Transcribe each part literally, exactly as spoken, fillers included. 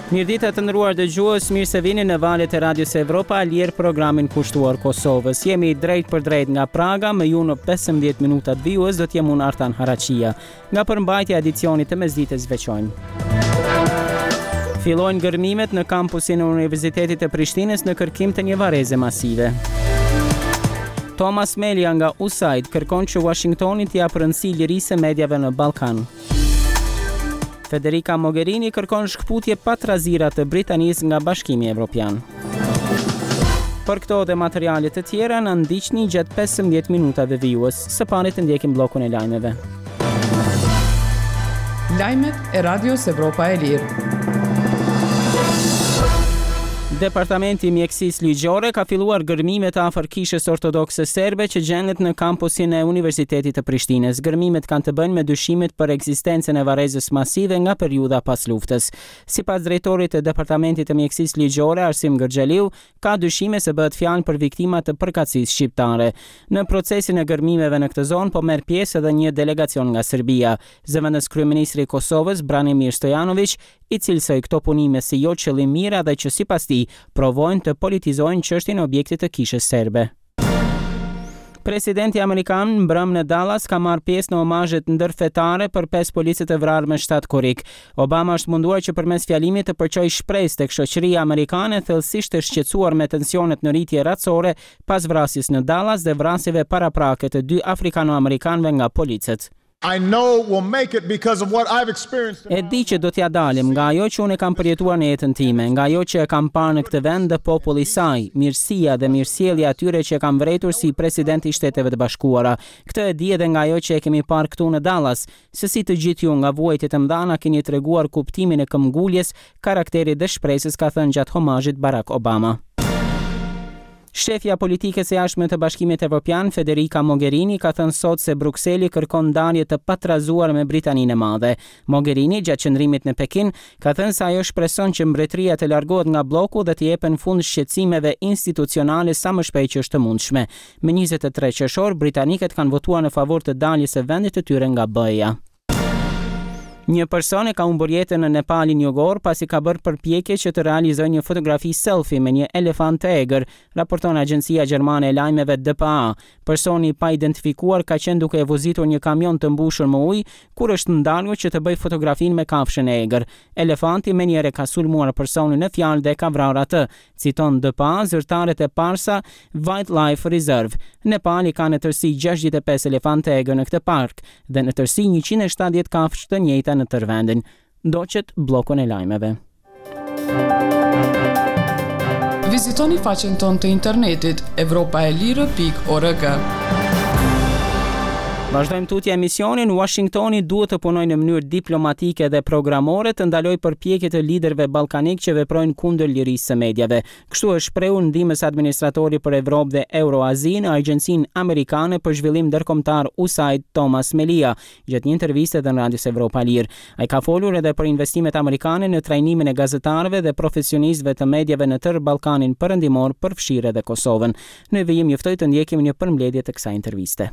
Mirëdita, të nderuar dëgjues, mirë se vini në valet e Radios Evropa e Lirë, programin kushtuar Kosovës. Jemi drejt për drejt nga Praga, me ju në pesëmbëdhjetë minutat vijues do të jem unë, Artan Haraqia. Nga përmbajtja e edicionit të mesditës veçojmë: Fillojnë gërmimet në kampusin e Universitetit të Prishtinës në kërkim të një varreze masive. Thomas Melia nga USAID kërkon që Washingtoni t'i japë rëndësi lirisë së mediave në Ballkan. Federica Mogherini kërkon shkëputje pa trazira të Britanisë nga Bashkimi Evropian. Për këto dhe materiale të tjera na ndiqni gjatë pesëmbëdhjetë minutave vijues. Së pari të ndjekim bllokun e lajmeve. Lajmet e Radios Evropa e Lirë. Departamenti i Mjekësisë Ligjore ka filluar gërmimet afër kishës ortodokse serbe që gjendet në kampusin e Universitetit të Prishtinës. Gërmimet kanë të bëjnë me dyshimet për ekzistencën e varrezës masive nga periudha pas luftës. Sipas drejtorit të Departamentit të Mjekësisë Ligjore, Arsim Gërxhaliu, ka dyshime se bëhet fjalë për viktima të përkatësisë shqiptare. Në procesin e gërmimeve në këtë zonë po merr pjesë edhe një delegacion nga Serbia. Zëvendës kryeministri i Kosovës, Branimir Stojanoviq, i cilësoi këto punime si jo qëllimmira dhe që sipas tij provojnë të politizojnë çështjen e objektit të kishës serbe. Presidenti amerikan mbrëm në Dallas ka marrë pjesë në omazhet ndërfetare për pesë policët e vrarë me shtatë korrik. Obama është munduar që përmes fjalimit të përçojë shpresë tek shoqëria amerikane, thellësisht e shqetësuar me tensionet në rritje racore pas vrasjes në Dallas dhe vrasjeve paraprake të dy afrikano-amerikanëve nga policët. I know we'll make it because of what I've experienced. E di që do t'ja dalim nga ajo që unë e kam përjetuar në jetën time, nga ajo që e kam parë në këtë vend dhe populli i saj, mirësia dhe mirësjellja atyre që e kam vërejtur si president i Shteteve të Bashkuara. Këtë e di edhe nga ajo që e kemi parë këtu në Dallas, se si të gjithë ju nga vuajtjet e mëdha na keni treguar kuptimin e këmbguljes, karakterit dhe shpresës, ka thënë gjatë homazhit Barack Obama. Shefja politikës e jashtme të Bashkimit Evropian, Federica Mogherini, ka thënë sot se Brukseli kërkon ndarje të patrazuar me Britaninë e Madhe. Mogherini, gjatë qëndrimit në Pekin, ka thënë se ajo shpreson që mbretëria të largohet nga bloku dhe të jepen fund shqetësimeve institucionale sa më shpejt që është të mundshme. Me njëzet e tre qershor, britanikët kanë votuar në favor të daljes së vendit të tyre nga B E-ja. Një person e ka humbur jetën në Nepalin jugor pasi ka bërë përpjekje që të realizojë një fotografi selfie me një elefant të egër, raporton agjencia gjermane e lajmeve D P A. Personi i pa identifikuar ka qenë duke e vozitur një kamion të mbushur me ujë kur është ndalur që të bëjë fotografinë me kafshën e egër. Elefanti menjëherë ka sulmuar personin në fjalë dhe ka vrarë atë, citon D P A zyrtarët e Parsa Wildlife Reserve. Nepali ka në tërësi gjashtëdhjetë e pesë elefantë të egër në këtë park dhe në tërësi njëqind e shtatëdhjetë kafshë të njëjta në tërë vendin. Ndoqët bllokun e lajmeve. Vizitoni faqen tonë të internetit evropaelire pikë org. Vazhdojmë tutje emisionin. Washingtoni duhet të punojë në mënyrë diplomatike dhe programore të ndalojë përpjekjet e liderëve ballkanik që veprojnë kundër lirisë së mediave. Kështu është shprehur ndihmës administratori për Evropë dhe Euroazi në Agjencinë Amerikane për Zhvillim Ndërkombëtar USAID, Thomas Melia, gjatë një interviste dhe në Radios Evropa Lirë. Ai ka folur edhe për investimet amerikane në trajnimin e gazetarëve dhe profesionistëve të mediave në tërë Ballkanin Perëndimor, përfshirë edhe Kosovën. Në vijim ju ftoj të ndjekim një përmbledhje të kësaj interviste.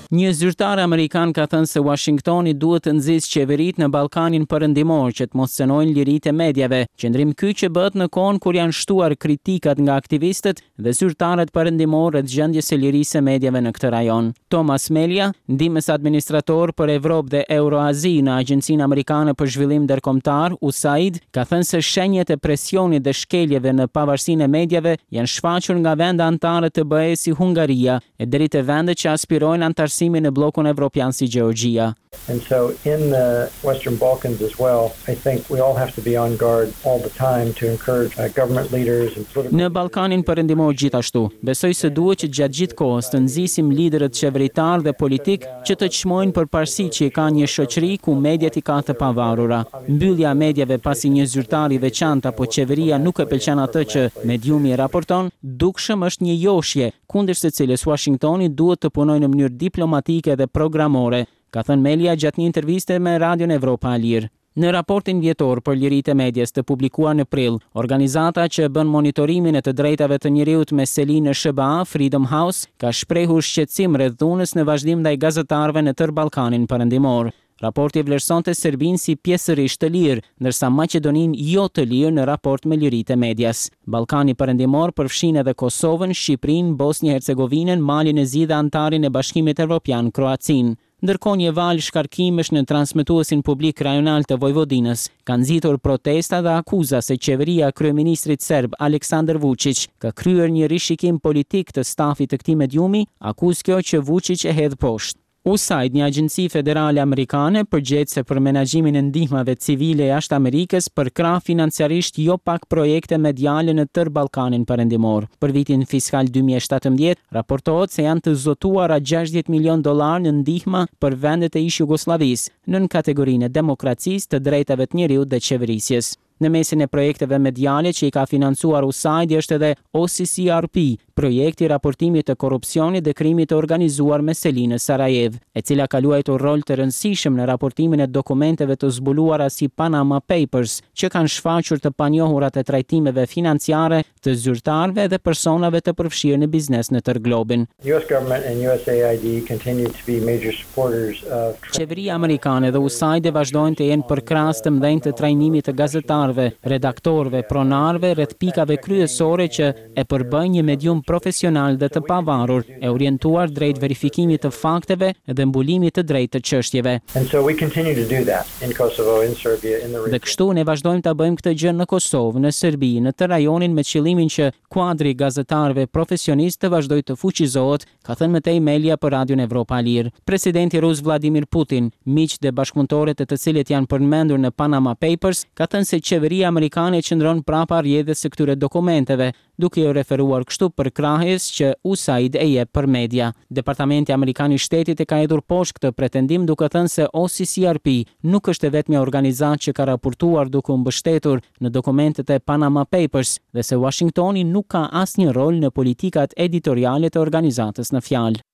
Një zyrtar amerikan ka thënë se Washingtoni duhet të nxisë qeveritë në Ballkanin Perëndimor që të mos cenojnë liritë e mediave. Qëndrim ky që bëhet në kohën kur janë shtuar kritikat nga aktivistët dhe zyrtarët perëndimor rreth gjendjes së lirisë së mediave në këtë rajon. Thomas Melia, ndihmës administrator për Evropë dhe Euroazi në Agjencinë Amerikane për Zhvillim Ndërkombëtar, USAID, ka thënë se shenjat e presionit dhe shkeljeve në pavarësinë e mediave janë shfaqur nga vende anëtare të B E si Hungaria e deri te vende që aspirojnë anëtarësimin në bllokun evropian si Gjeorgjia. And so in the Western Balkans as well, I think we all have to be on guard all the time to encourage uh, government leaders and political Në Ballkanin Perëndimor gjithashtu, besoj se duhet që gjatë gjithë kohës të nxisim liderët qeveritar dhe politik që të çmojnë përparësitë që i ka një shoqëri ku mediat i ka të pavarura. Mbyllja e mediave pasi një zyrtar i veçantë apo qeveria nuk e pëlqen atë që mediumi raporton, dukshëm është një joshje kundër së cilës Washingtoni duhet të punojë në mënyrë diplomatike dhe programore, ka thënë Melia gjatë një interviste me Radion Evropa e Lirë. Në raportin vjetor për liritë e medias të publikuar në prill, organizata që bën monitorimin e të drejtave të njeriut me seli në S H B A, Freedom House, ka shprehur shqetësim rreth dhunës në vazhdim ndaj gazetarëve në tërë Ballkanin Perëndimor. Raporti vlerësonte Serbinë si pjesërisht të lirë, ndërsa Maqedoninë jo të lirë në raport me liritë e medias. Ballkani Perëndimor përfshin edhe Kosovën, Shqipërinë, Bosnjë Hercegovinën, Malin e Zi dhe anëtarin e Bashkimit Evropian, Kroacinë. Ndërkohë, një valë shkarkimesh në transmetuesin publik rajonal të Vojvodinës ka nxitur protesta dhe akuza se qeveria e kryeministrit serb Aleksandar Vučić ka kryer një rishikim politik të stafit të këtij mediumi, akuzë kjo që Vučić e hedh poshtë. USAID, një agjenci federale amerikane përgjegjëse për menaxhimin e ndihmave civile jashtë Amerikës, përkrah financiarisht jo pak projekte mediale në tërë Ballkanin Perëndimor. Për vitin fiskal dy mijë e shtatëmbëdhjetë, raportohet se janë të zotuara gjashtëdhjetë milion dollar në ndihma për vendet e ish Jugosllavisë, nën kategorinë e demokracisë, të drejtave të njeriut dhe qeverisjes. Në mesin e projekteve mediale që i ka financuar USAID është edhe O C C R P, projekti i raportimit të korrupsionit dhe krimit të organizuar me seli në Sarajevo, e cila ka luajtur rol të rëndësishëm në raportimin e dokumenteve të zbuluara si Panama Papers, që kanë shfaqur të panjohurat e trajtimeve financiare të zyrtarëve dhe personave të përfshirë në biznes në tërë globin. U S government and U S A I D continue to be major supporters of Qeveria amerikane dhe USAID vazhdojnë të jenë përkrahës të mëdhenj të trajnimit të gazetarëve, redaktorëve, pronarëve rreth pikave kryesore që e përbëjnë një medium profesional dhe të pavarur, e orientuar drejt verifikimit të fakteve dhe mbulimit të drejtë të çështjeve. And so we continue to do that in Kosovo, in Serbia, in the Dhe region. kështu ne vazhdojmë ta bëjmë këtë gjë në Kosovë, në Serbi, në të rajonin, me qëllimin që kuadri i gazetarëve profesionistë të vazhdojë të fuqizohet, ka thënë më tej Melia për Radion Evropa e Lirë. Presidenti rus Vladimir Putin, miqtë dhe bashkëpunëtorët e të cilët janë përmendur në Panama Papers, ka thënë se qeveria amerikane qëndron prapa rrjedhës së këtyre dokumenteve, duke iu referuar kështu përkrahjes që USAID e jep për media. Departamenti Amerikan i Shtetit e ka hedhur poshtë këtë pretendim, duke thënë se O C C R P nuk është e vetmja organizatë që ka raportuar duke u mbështetur në dokumentet e Panama Papers dhe se Washingtoni nuk ka asnjë rol në politikat editoriale të organizatës në fjalë.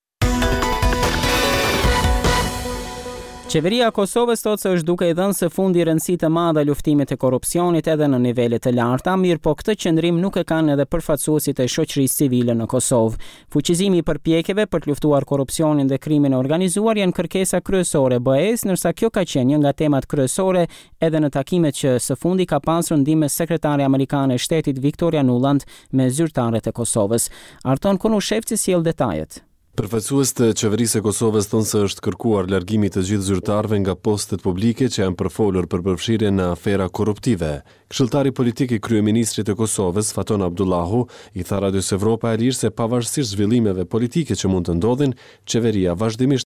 Qeveria e Kosovës thotë se është duke i dhënë së fundi rëndësi të madhe luftimit të korrupsionit edhe në nivele të larta, mirë po këtë qëndrim nuk e kanë edhe përfaqësuesit e shoqërisë civile në Kosovë. Fuqizimi i përpjekjeve për të luftuar korrupsionin dhe krimin e organizuar janë kërkesa kryesore e B E-s, ndërsa kjo ka qenë një nga temat kryesore edhe në takimet që së fundi ka pasur ndihmës sekretare amerikane e shtetit Victoria Nuland me zyrtarët e Kosovës. Arton Konushevci sjell detajet. Përfaqësues të qeverisë së Kosovës thonë se është kërkuar largimi të gjithë zyrtarëve nga postet publike që janë përfolur për përfshirje në afera korruptive. Këshilltari politik i kryeministrit të Kosovës, Faton Abdullahu, i tha Radios Evropa e Lirë se pavarësisht zhvillimeve politike që mund të ndodhin, qeveria vazhdimisht